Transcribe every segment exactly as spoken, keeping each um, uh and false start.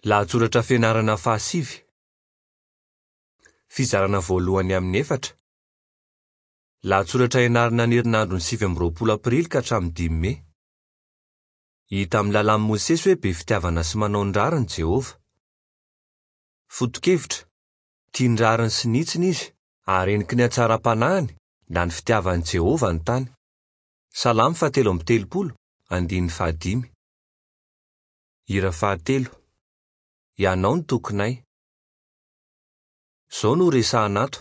Lahatsoratra fianarana fahasivy. Fizarana voalohany amin'ny efatra. Lahatsoratra ianarana ny herinandron'ny sivy amby roapolo aprily ka hatramin'ny dimy mey. Hita amin'ny lalàn'i Mosesy hoe be fitiavana sy manao ny rariny Jehovah. Foto-kevitra: tia ny rariny sy ny hitsiny izy, ary heniky ny hatsaram-panahiny na ny fitiavan'i Jehovah ny tany. Salamo fahatelo amby telopolo, andininy fahadimy. Hira fahatelo. Ianao no tokinay. Izao no resahana ato.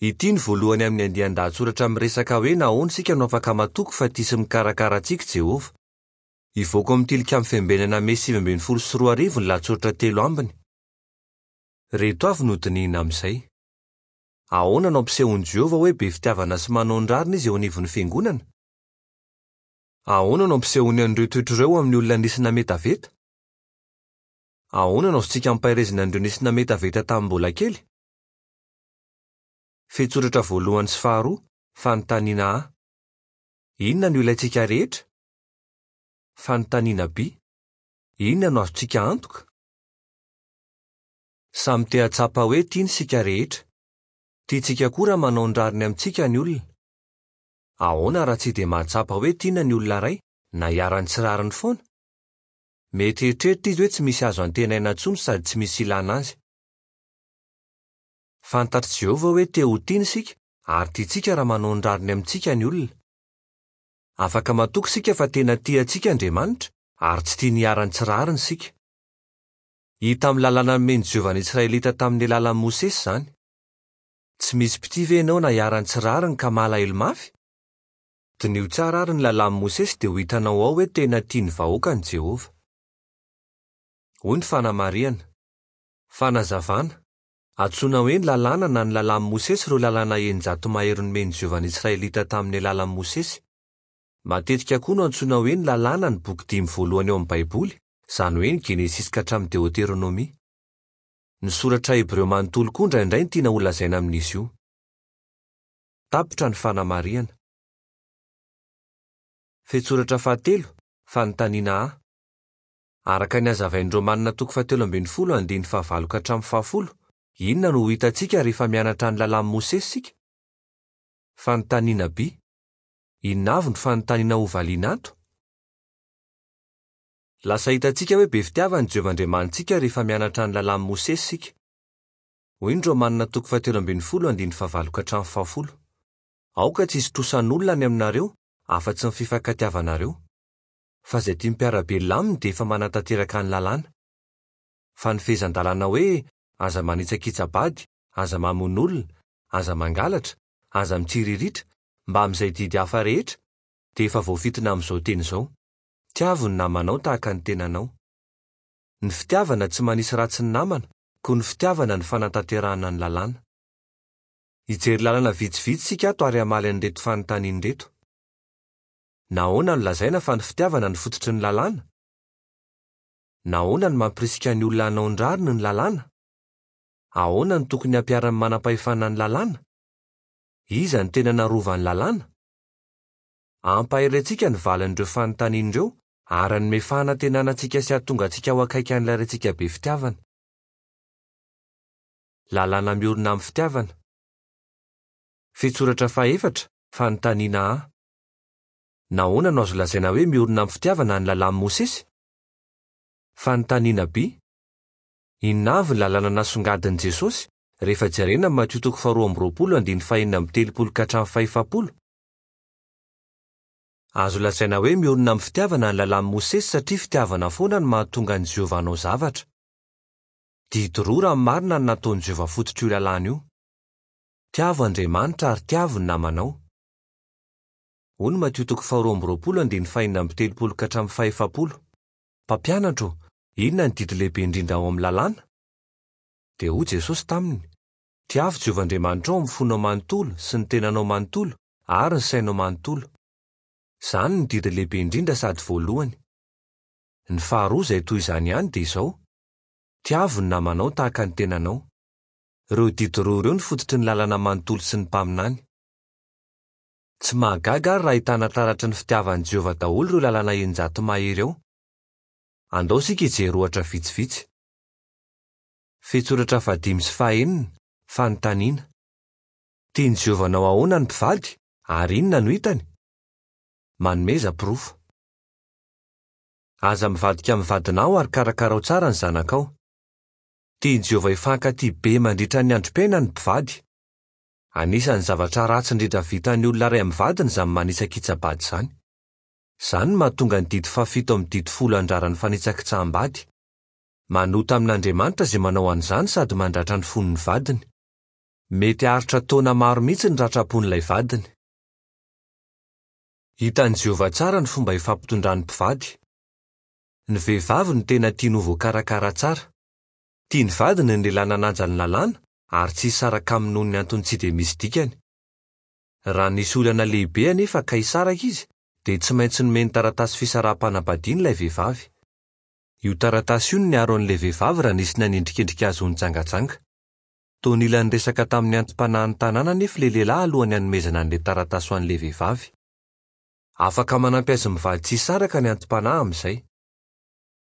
Ity ny voalohany amin'ny andian-dahatsoratra miresaka hoe nahoana isika no afaka matoky fa tia sy mikarakara antsika Jehovah. Hivoaka amin'ny Tilikambo Fiambenana Mey sivy ambin'ny folo sy roa arivo ny lahatsoratra telo ambiny. Ireto avy no dinihina amin'izay. Ahoana no ampisehoan'i Jehovah hoe be fitiavana sy manao ny rariny izy eo anivon'ny fiangonana? Ahoana no ampisehoany an'ireo toetra ireo amin'ny olona nisy nametaveta? Ahoana no azontsika ampaherezina an'ireo nisy nametaveta tamin'ny mbola kely? Fehintsoratra voalohany sy faharoa, fanontaniana A. Inona no ilaintsika rehetra? Fanontaniana B. Inona no azontsika antoka? Samy te hahatsapa hoe tiana isika rehetra. Tiantsika koa raha manao ny rariny amintsika ny olona. Ahoana raha tsy dia mahatsapa hoe tiana ny olona iray na iharan'ny tsy rariny foana? Mety hieritreritra izy hoe tsy misy azo antenaina intsony sady tsy misy ilana azy. Fantatr'i Jehovah hoe te ho tiana isika ary tiantsika raha manao ny rariny amintsika ny olona. Afaka matoky isika fa tena tia antsika Andriamanitra ary tsy tiany hiharan'ny tsy rariny isika. Hita amin'ny lalàna nomen'i Jehovah ny Israelita tamin'ny alalan'i Mosesy izany. Tsy misy mpitia ve ianao na hiharan'ny tsy rariny ka malahelo mafy? Diniho tsara ary ny lalàn'i Mosesy dia ho hitanao ao hoe tena tia ny vahoakany Jehovah. Hoy ny fanamarihana. Fanazavana. Antsoina hoe ny lalàna na ny lalàn'i Mosesy ireo lalàna eninjato mahery nomen'i Jehovah ny Israelita tamin'ny alalan'i Mosesy. Matetika koa no antsoina hoe ny lalàna ny boky dimy voalohany ao amin'ny Baiboly, izany hoe ny Genesisy ka hatramin'ny Deoteronomia. Ny soratra hebreo manontolo koa indraindray no tiana holazaina amin'izy io. Tapitra ny fanamarihana. Fehintsoratra fahatelo, fanontaniana A. Araka ny hazavain'ny Romanina toko fahatelo ambin'ny folo andininy fahavalo ka hatramin'ny fahafolo, inona no ho hitantsika rehefa mianatra ny lalàn'i Mosesy isika? Fanontaniana B. Inona avy no fanontaniana hovaliana ato? Lasa hitantsika hoe be fitiavana Jehovah Andriamanitsika rehefa mianatra ny lalàn'i Mosesy isika. Hoy ny Romanina toko fahatelo ambin'ny folo andininy fahavalo ka hatramin'ny fahafolo. Aoka tsy hisy trosan'olona any aminareo afa-tsy ny fifankatiavanareo. Fa izay tia mpiara-belona aminy dia efa manatanteraka ny lalàna. Fa ny fehezan-dalàna hoe aza manitsakitsa-bady, aza mamono olona, aza mangalatra, aza mitsiriritra, mba amin'izay didy hafa rehetra, dia efa voafintina amin'izao teny izao. Tiavo ny namanao tahaka ny tenanao. Ny fitiavana tsy manisy ratsy ny namana, koa ny fitiavana ny fanatanterahana ny lalàna. Hijery lalana vitsivitsy isika ato ary hamaly an'ireto fanontaniana ireto. Nahoana no lazaina fa ny fitiavana no fototry ny lalàna? Nahoana no mampirisika ny olona hanao ny rariny ny lalàna? Ahoana no tokony hampiharan'ny manam-pahefana ny lalàna? Iza no tena narovan'ny lalàna? Hampahery antsika ny valin'ireo fanontaniana ireo ary hanome fanantenana antsika sy hahatonga antsika ho akaiky an'ilay Raintsika be fitiavana. Lalàna miorina amin'ny fitiavana. Fehintsoratra fahefatra, fanontaniana A. Nahoana no azo lazaina hoe miorina amin'ny fitiavana ny lalàn'i Mosesy? Fanontaniana B. Inona avy ny lalàna nasongadin'i Jesosy rehefa jerena amin'ny Matio toko faharoa amby roapolo andininy fahenina amby telopolo ka hatramin'ny fahefapolo? Azo lazaina hoe miorina amin'ny fitiavana ny lalàn'i Mosesy satria fitiavana foana no mahatonga an'i Jehovah hanao zavatra. Didy roa raha ny marina no nataon'i Jehovah fototr'io lalàna io. Tiavo Andriamanitra ary tiavo ny namanao. Hoy ny Matio toko faharoa amby roapolo andininy fahenina amby telopolo ka hatramin'ny fahefapolo. Mpampianatro, inona ny didy lehibe indrindra ao amin'ny lalàna? Dia hoy Jesosy taminy, tiavo Jehovah Andriamanitrao amin'ny fonao manontolo sy ny tenanao manontolo ary ny sainao manontolo. Izany no didy lehibe indrindra sady voalohany. Ny faharoa izay toy izany ihany dia izao: tiavo ny namanao tahaka ny tenanao. Ireo didy roa ireo no fototry ny lalàna manontolo sy ny mpaminany. Tsy mahagaga ary raha ahitana taratry ny fitiavan'i Jehovah daholo ireo lalàna eninjato mahery ao. Andao isika hijery ohatra vitsivitsy. Fehintsoratra fahadimy sy fahenina, fanontaniana. Tian'i Jehovah hanao ahoana ny mpivady ary inona no hitany? Manomeza porofo. Aza mivadika amin'ny vadinao ary karakarao tsara ny zanakao. Tian'i Jehovah hifankatia be mandritra ny androm-piainany ny mpivady. Anisan'ny zavatra ratsy indrindra vitan'ny olona iray amin'ny vadiny izany manitsakitsa-bady izany. Izany no mahatonga ny didy fahafito amin'ny didy folo andrara ny fanitsakitsaham-bady. Manota amin'Andriamanitra izay manao an'izany sady mandratra ny fon'ny vadiny. Mety haharitra taona maro mihitsy ny ratram-pon'ilay vadiny. Hitan'i Jehovah tsara ny fomba ifampitondran'ny mpivady. Ny vehivavy no tena tiany ho voakarakara tsara. Tiany vadiny ny lehilahy nanaja ny lalàna ary tsy hisaraka aminy noho ny antony tsy dia misy dikany. Raha nisy olana lehibe anefa ka hisaraka izy, dia tsy maintsy nomeny taratasy fisaraham-panambadiana ilay vehivavy. Io taratasy io no niaro an'ilay vehivavy raha nisy nanendrikendrika azy ho nijangajanga. Toa nila niresaka tamin'ny anti-panahin'ny tanàna anefa ilay lehilahy alohan'ny hanomezana an'ilay taratasy ho an'ilay vehivavy. Afaka manampy azy mivady tsy hisaraka ny anti-panahy amin'izay.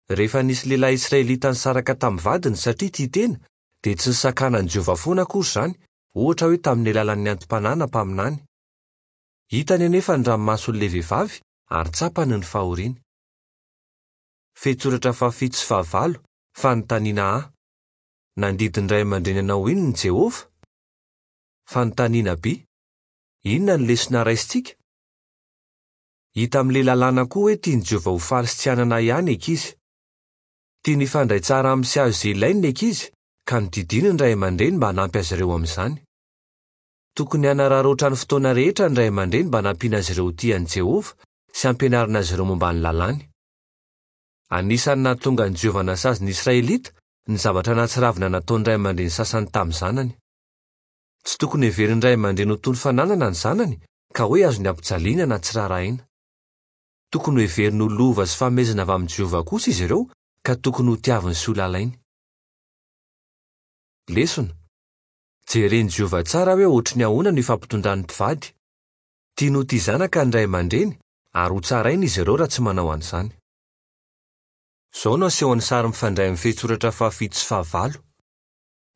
Rehefa nisy lehilahy israelita nisaraka tamin'ny vadiny satria tia tena, dia tsy nisakanan'i Jehovah foana akory izany, ohatra hoe tamin'ny alalan'ny anti-panahy na mpaminany. Hitany anefa ny ranomason'ilay vehivavy ary tsapany ny fahoriany. Fehintsoratra fahafito sy fahavalo, fanontaniana A. Nandidy ny ray aman-dreny hanao inona Jehovah? Fanontaniana B. Inona ny lesona raisintsika? Hita amin'ilay lalàna koa hoe tian'i Jehovah ho faly sy tsy hanana ahiahy ny ankizy. Tiany hifandray tsara amin'ny sy azo izay ilainy ny ankizy, ka nodidiany ny ray aman-dreny mba hanampy azy ireo amin'izany. Tokony hanararaotra ny fotoana rehetra ny ray aman-dreny mba hanampiana azy ireo ho tia an'i Jehovah sy hampianarina azy ireo momba ny lalàny. Anisan'ny nahatonga an'i Jehovah nasazy ny Israelita ny zavatra nahatsiravina nataon'ny ray aman-dreny sasany tamin'ny zanany. Tsy tokony heverin'ny ray aman-dreny ho toy ny fananana ny zanany ka hoe azony ampijaliana na tsy raharahaina. Tokony hoheveriny ho lova sy fanomezana avy amin'i Jehovah kosa izy ireo ka tokony ho tiaviny sy ho lalainy. Lesona. Jeren'i Jehovah tsara hoe ohatry ny ahoana no ifampitondran'ny mpivady. Tiany ho tia zanaka ny ray aman-dreny ary ho tsaraina izy ireo raha tsy manao an'izany. Izao no asehon'ny sary mifandray amin'ny fehintsoratra fahafito sy fahavalo.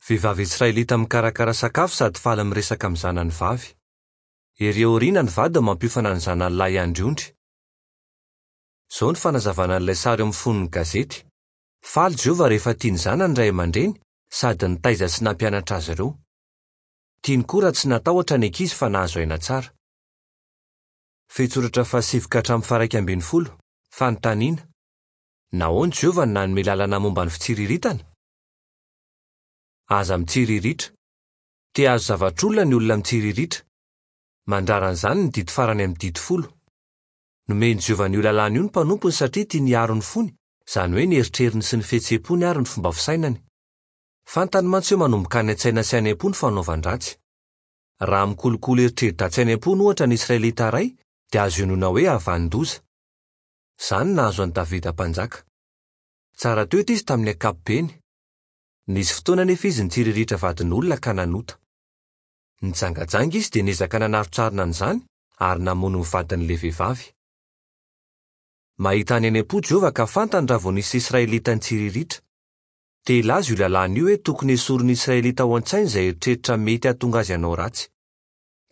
Vehivavy israelita mikarakara sakafo sady faly miresaka amin'ny zanany vavy. Ery aoriana ny vadiny mampiofana ny zanany lahy handry ondry. Izao no fanazavana an'ilay sary eo amin'ny fonon'ny gazety. Faly Jehovah rehefa tia ny zanany ray aman-dreny sady nitaiza sy nampianatra azy ireo. Tiany koa raha tsy natahotra ny ankizy fa nahazo aina tsara. Fehintsoratra fahasivy ka hatramin'ny faha-iraika ambin'ny folo, fanontaniana. Nahoana Jehovah no nanome lalana momba ny fitsiriritana? Aza mitsiriritra. Te hahazo zavatr'olona ny olona mitsiriritra. Mandrara an'izany ny didy farany amin'ny didy folo. Nomen'i Jehovah an'io lalàna io ny mpanompony satria tiany hiaro ny fony, izany hoe ny eritreriny sy ny fihetseham-pony ary ny fomba fisainany. Fantany mantsy hoe manomboka any an-tsaina sy any am-po ny fanaovan-dratsy. Raha mikolokolo eritreri-dratsy any am-pony ohatra ny Israelita iray, dia azo inoana hoe havanin-doza. Izany nahazo an'i Davida mpanjaka. Tsara toetra izy tamin'ny ankapobeny. Nisy fotoana anefa izy nitsiriritra vadin'olona ka nanota. Nijangajanga izy dia niezaka nanarotsarina an'izany ary namono ny vadin'ilay vehivavy. Mahita any any am-po Jehovah ka fantany raha vao nisy Israelita nitsiriritra. Te hilaza io lalàna io hoe tokony hesorin'ny Israelita ao an-tsainy izay eritreritra mety hahatonga azy hanao ratsy.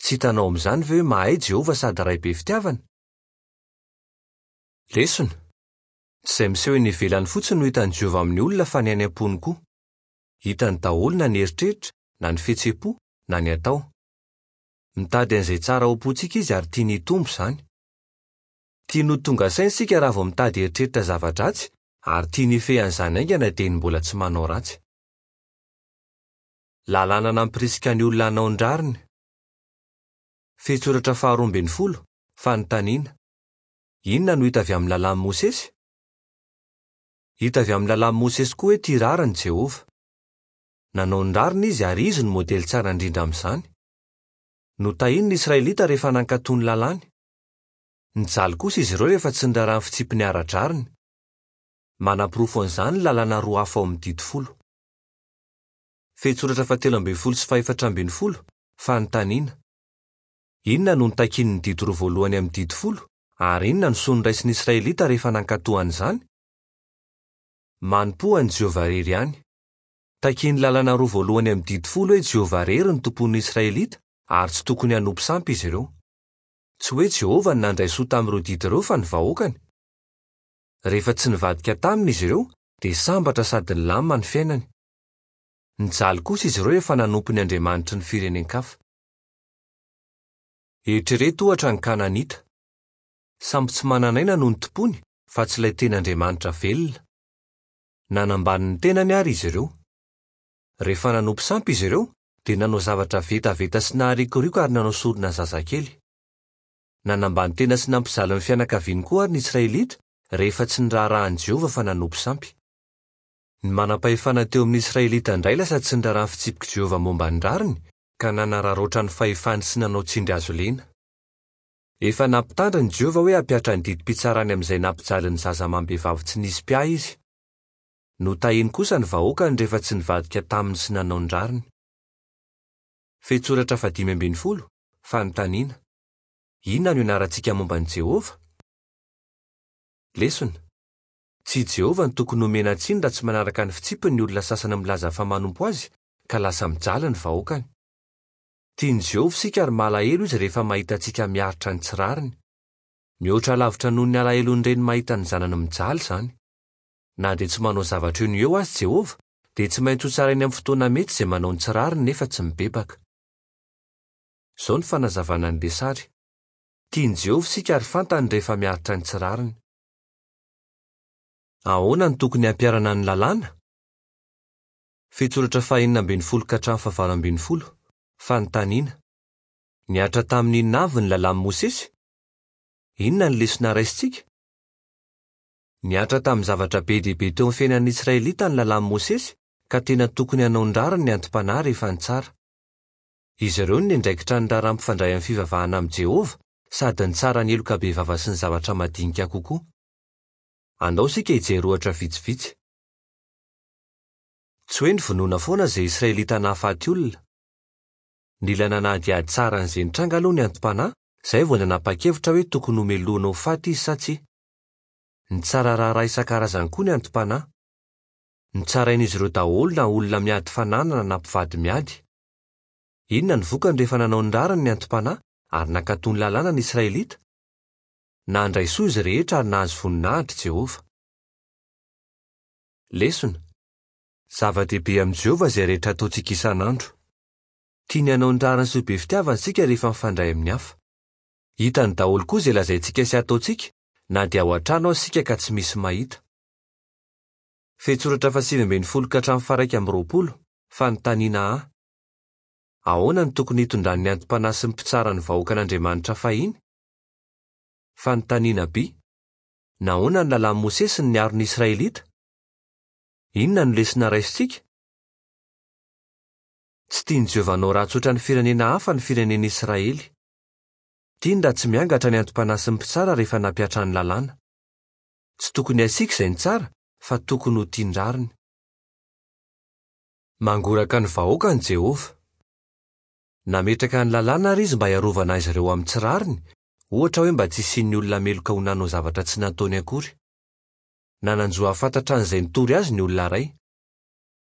Tsy hitanao amin'izany ve hoe mahay Jehovah sady ray be fitiavana? Lesona. Tsy izay miseho eny ivelany fotsiny no hitan'i Jehovah amin'ny olona fa ny any am-pony koa. Hitany daholo na ny eritreritra, na ny fihetseham-po, na ny atao. Mitady an'izay tsara ao am-pontsika izy ary tiany hitombo izany. Tiany ho tonga saina isika raha vao mitady eritreritra zava-dratsy ary tiany hifehy an'izany haingana dia ny mbola tsy manao ratsy. Lalàna nampirisika ny olona hanao ny rariny. Fehintsoratra faharoa ambin'ny folo, fanontaniana. Inona no hita avy amin'ny lalàn'i Mosesy? Hita avy amin'ny lalàn'i Mosesy koa hoe tia rariny Jehovah. Nanao ny rariny izy ary izy no modely tsara indrindra amin'izany. Notahiny ny Israelita rehefa nankatò ny lalàny. Nijaly kosa izy ireo rehefa tsy niraharaha ny fitsipiny ara-drariny. Manaporofo an'izany ny lalàna roa hafa ao amin'ny didy folo. Fehintsoratra fahatelo ambin'ny folo sy fahefatra ambin'ny folo, fanontaniana. Inona no notakian'ny didy roa voalohany amin'ny didy folo ary inona no soa noraisin'ny Israelita rehefa nankatò an'izany? Manompoa an'i Jehovah irery ihany. Takian'ny lalana roa voalohany amin'ny didy folo hoe Jehovah irery no tompon'ny Israelita ary tsy tokony hanompo sampy izy ireo. Tsy hoe Jehovah no nandray soa tamin'ireo didy ireo fa ny vahoakany. Rehefa tsy nivadika taminy izy ireo dia sambatra sady nilamina ny fiainany. Nijaly kosa izy ireo efa nanompo ny andriamanitry ny firenen-kafa. Eritrereto ohatra ny Kananita. Sampy tsy manan'aina no nitompony fa tsy ilay tena Andriamanitra velona. Nanambany ny tenany ary izy ireo. Rehefa nanompo sampy izy ireo dia nanao zavatra vetaveta sy naharikoriko ary nanao sorona zazakely. Nanambany tena sy nampijaly ny fianakaviany koa ary ny Israelita rehefa tsy niraharahan'i Jehovah fa nanompo sampy. Ny manam-pahefana teo amin'ny Israelita indray lasa tsy niraharaha ny fitsipik'i Jehovah momba ny rariny ka nanararaotra ny fahefany sy nanao tsindry hazo lena. Efa nampitandrina Jehovah hoe hampihatra ny didim-pitsarany amin'izay nampijaly ny zaza amam-behivavy tsy nisy mpiahy izy. Notahiny kosa ny vahoakany rehefa tsy nivadika taminy sy nanao ny rariny. Fehintsoratra fahadimy ambin'ny folo, fanontaniana. Inona no ianarantsika momba an'i Jehovah? Lesona. Tsy i Jehovah no tokony homena tsiny raha tsy manaraka ny fitsipiny ny olona sasany milaza fa manompo azy ka lasa mijaly ny vahoakany. Tian'i Jehovah isika ary malahelo izy rehefa mahita antsika miaritra ny tsy rariny. Mihoatra lavitra noho ny alahelon'ny reny mahita ny zanany mijaly izany. Na dia tsy manao zavatra eo no eo azy Jehovah, dia tsy maintsy hotsarainy amin'ny fotoana mety izay manao ny tsy rariny nefa tsy mibebaka. Izao ny fanazavana ny sary. Tian'i Jehovah isika ary fantany rehefa miaritra ny tsy rariny. Ahoana no tokony hampiharana ny lalàna? Fehintsoratra fahenina ambin'ny folo ka hatramin'ny fahavalo ambin'ny folo. Fanontaniana. Nihatra tamin'ny inona avy ny lalàn'i Mosesy? Inona ny lesona raisintsika? Nihatra tamin'ny zavatra be dia be teo amin'ny fiainan'ny Israelita ny lalàn'i Mosesy ka tena tokony hanao ny rariny ny anti-panahy rehefa nitsara. Izy ireo no niandraikitra ny raharaha mifandray amin'ny fivavahana amin'i Jehovah sady nitsara ny heloka bevava sy ny zavatra madinika kokoa. Andao isika hijery ohatra vitsivitsy. Tsy hoe nivonoana foana izay Israelita nahafaty olona. Nila nanadihady tsara an'izay nitranga aloha ny anti-panahy izay vao nanapa-kevitra hoe tokony homelohina ho faty izy sa tsia. Nitsara raharaha isan-karazany koa ny anti-panahy. Nitsarain'izy ireo daholo na olona miady fananana na mpivady miady. Inona ny vokany rehefa nanao ny rariny ny anti-panahy ary nankatò ny lalàna ny Israelita? Nandray soa izy rehetra ary nahazo voninahitra Jehovah. Lesona. Zava-dehibe amin'i Jehovah izay rehetra ataontsika isan'andro. Tiany hanao ny rariny sy ho be fitiavana isika rehefa mifandray amin'ny hafa. Hitany daholo koa izay lazaintsika sy ataontsika na dia ao an-trano aza isika ka tsy misy mahita. Fehintsoratra fahasivy ambin'ny folo ka hatramin'ny faha-iraika amby roapolo. Fanontaniana A. Ahoana no tokony hitondran'ny anti-panahy sy ny mpitsara ny vahoakan'Andriamanitra fahiny? Fanontaniana B. Nahoana ny lalàn'i Mosesy no niaro ny Israelita? Inona no lesona raisintsika? Tsy tian'i Jehovah hanao ratsy ohatran'ny firenena hafa ny firenena Israely. Tiany raha tsy miangatra ny anti-panahy sy ny mpitsara rehefa nampihatra ny lalàna. Tsy tokony hasiaka izay nitsara fa tokony ho tia ny rariny. Mangoraka ny vahoakany Jehovah. Nametraka ny lalàna ary izy mba hiarovana azy ireo amin'ny tsy rariny, ohatra hoe mba tsy hisian'ny olona meloka ho nanao zavatra tsy nataony akory. Nanan-jo hahafantatra an'izay nitory azy ny olona iray.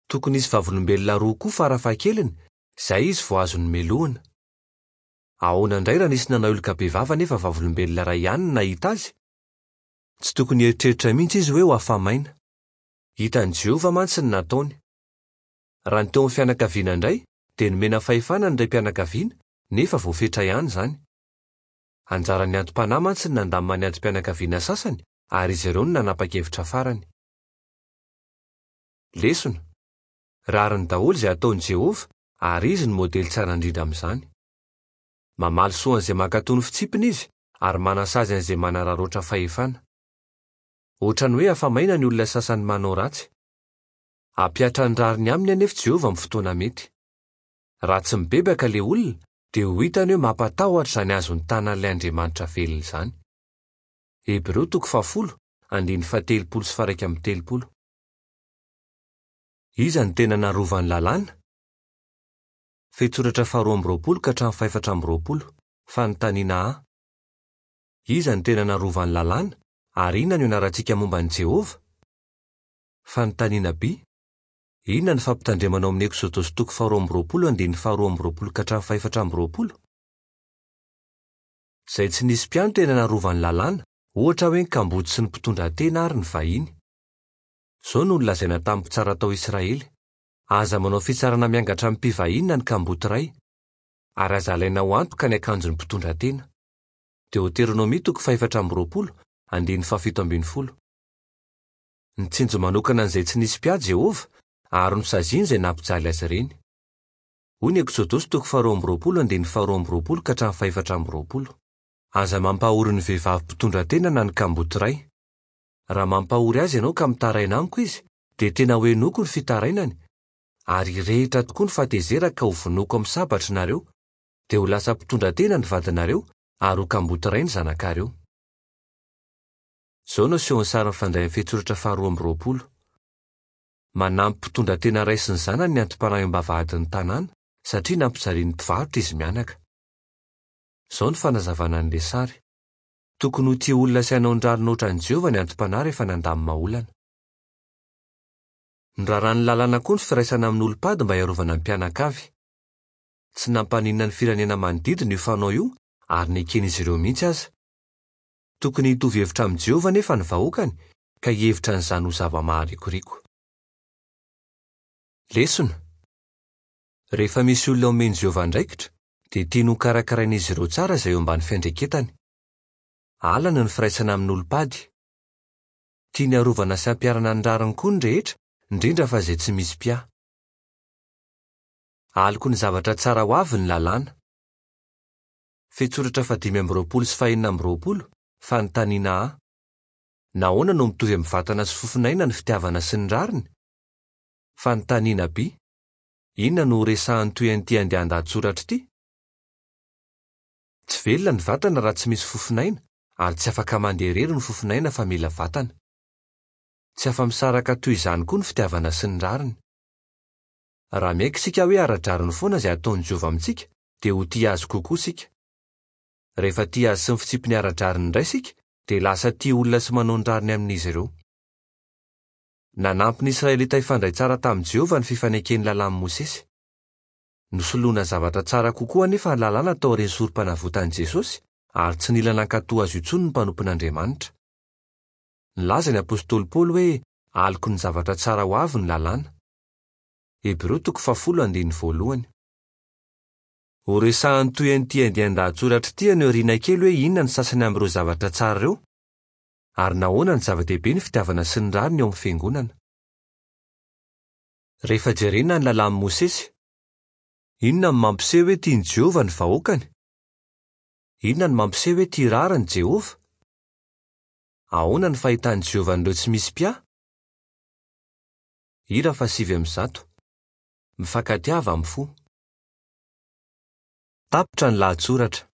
Tokony hisy vavolombelona roa koa farafahakeliny, izay izy vao azony melohina. Ahoana indray raha nisy nanao heloka bevava nefa vavolombelona iray ihany no nahita azy? Tsy tokony hieritreritra mihitsy izy hoe ho afa-maina. Hitan'i Jehovah mantsy ny nataony. Raha ny teo amin'ny fianakaviana indray, dia nomena fahefana ny raim-pianakaviana nefa voafetra ihany izany. Anjaran'ny anti-panahy mantsy ny nandamina ny anti-pianakaviana sasany ary izy ireo no nanapa-kevitra farany. Lesona. Rariny daholo izay ataon'i Jehovah ary izy no modely tsara indrindra amin'izany. Mamaly soa an'izay mankatò ny fitsipiny izy ary manasazy an'izay manararaotra fahefana. Ohatran'ny hoe afa-maina ny olona sasany manao ratsy. Hampihatra ny rariny aminy anefa Jehovah amin'ny fotoana mety. Raha tsy mibebaka ilay olona dia ho hitany hoe mampatahotra izany azon'ny tanan'ilay Andriamanitra velona izany. Hebreo toko fahafolo, andininy fahatelopolo sy faha-iraika amby telopolo. Iza no tena narovan'ny lalàna? Fehintsoratra faharoa amby roapolo ka hatramin'ny fahefatra amby roapolo. Fanontaniana A. Iza no tena narovan'ny lalàna ary inona no ianarantsika momba an'i Jehovah? Fanontaniana B. Inona ny fampitandremana ao amin'ny Eksodosy toko faharoa amby roapolo andininy faharoa amby roapolo ka hatramin'ny fahefatra amby roapolo? Izay tsy nisy mpiahy no tena narovan'ny lalàna, ohatra hoe ny kamboty sy ny mpitondra tena ary ny vahiny. Izao no nolazaina tamin'ny mpitsara tao Israely: Aza manao fitsarana miangatra amin'ny mpivahiny na ny kamboty iray, ary aza alaina ho antoka ny akanjon'ny mpitondra tena. Deoteronomia toko fahefatra amby roapolo, andininy fahafito ambin'ny folo. Nitsinjo manokana an'izay tsy nisy mpiahy Jehovah ary nosaziany izay nampijaly azy ireny. Hoy ny Eksodosy toko faharoa amby roapolo andininy faharoa amby roapolo ka hatramin'ny fahefatra amby roapolo. Aza mampahory ny vehivavy mpitondra tena na ny kamboty iray. Raha mampahory azy ianao ka mitaraina amiko izy, dia tena ho henoiko ny fitarainany, ary hirehitra tokoa ny fahatezerako ka ho vonoiko amin'ny sabatra nareo, dia ho lasa mpitondra tena ny vadinareo ary ho kamboty iray ny zanakareo. Izao no asehon'ny sary mifandray amin'ny fehintsoratra faharoa amby roapolo. Manampy mpitondra tena iray sy ny zanany ny anti-panahy eo am-bavahadin'ny tanàna satria nampijalian'ny mpivarotra izy mianaka. Izao no fanazavana an'ilay sary. Tokony ho tia olona sy hanao ny rariny ohatran'i Jehovah ny anti-panahy rehefa nandamina olana. Noraran'ny lalàna koa ny firaisana amin'olom-pady mba hiarovana ny mpianakavy. Tsy nampaninona ny firenena manodidina io fanao io ary neken'izy ireo mihitsy aza. Tokony hitovy hevitra amin'i Jehovah anefa ny vahoakany ka hihevitra an'izany ho zava-maharikoriko. Lesona. Rehefa misy olona omen'i Jehovah andraikitra, dia tiany ho karakarain'izy ireo tsara izay eo ambany fiandraiketany. Halany ny firaisana amin'olom-pady. Tiany harovana sy hampiharana ny rariny koa ny rehetra, indrindra fa izay tsy misy mpiahy. Aloky ny zavatra tsara ho avy ny lalàna. Fehintsoratra fahadimy amby roapolo sy fahenina amby roapolo, fanontaniana A. Nahoana no mitovy amin'ny vatana sy fofonaina ny fitiavana sy ny rariny? Fanontaniana B. Inona no horesahan'ny toy an'ity andian-dahatsoratra ity? Tsy velona ny vatana raha tsy misy fofonaina ary tsy afaka mandeha irery ny fofonaina fa mila vatana. Tsy afa-misaraka toy izany koa ny fitiavana sy ny rariny. Raha miaiky isika hoe ara-drariny foana izay ataon'i Jehovah amintsika, dia ho tia azy kokoa isika. Rehefa tia azy sy ny fitsipiny ara-drariny indray isika, dia lasa tia olona sy manao ny rariny amin'izy ireo. Nanampy ny Israelita hifandray tsara tamin'i Jehovah ny fifaneken'ny lalàn'i Mosesy. Nosoloana zavatra tsara kokoa anefa ny lalàna taorian'ny sorom-panavotan'i Jesosy ary tsy nila nankatò azy intsony ny mpanompon'Andriamanitra. Nilaza ny apostoly Paoly hoe aloky ny zavatra tsara ho avy ny lalàna. Hebreo toko fahafolo andininy voalohany. Horesahan'ny toy an'ity andian-dahatsoratra ity any aoriana kely hoe inona ny sasany amin'ireo zavatra tsara ireo, ary nahoana ny zava-dehibe ny fitiavana sy ny rariny eo amin'ny fiangonana. Rehefa jerena ny lalàn'i Mosesy, inona no mampiseho hoe tian'i Jehovah ny vahoakany? Inona no mampiseho hoe tia rariny Jehovah? Ahoana ny fahitan'i Jehovah an'ireo tsy misy mpiahy? Hira fahasivy amby zato. Mifankatiava amin'ny fo. Tapitra ny lahatsoratra.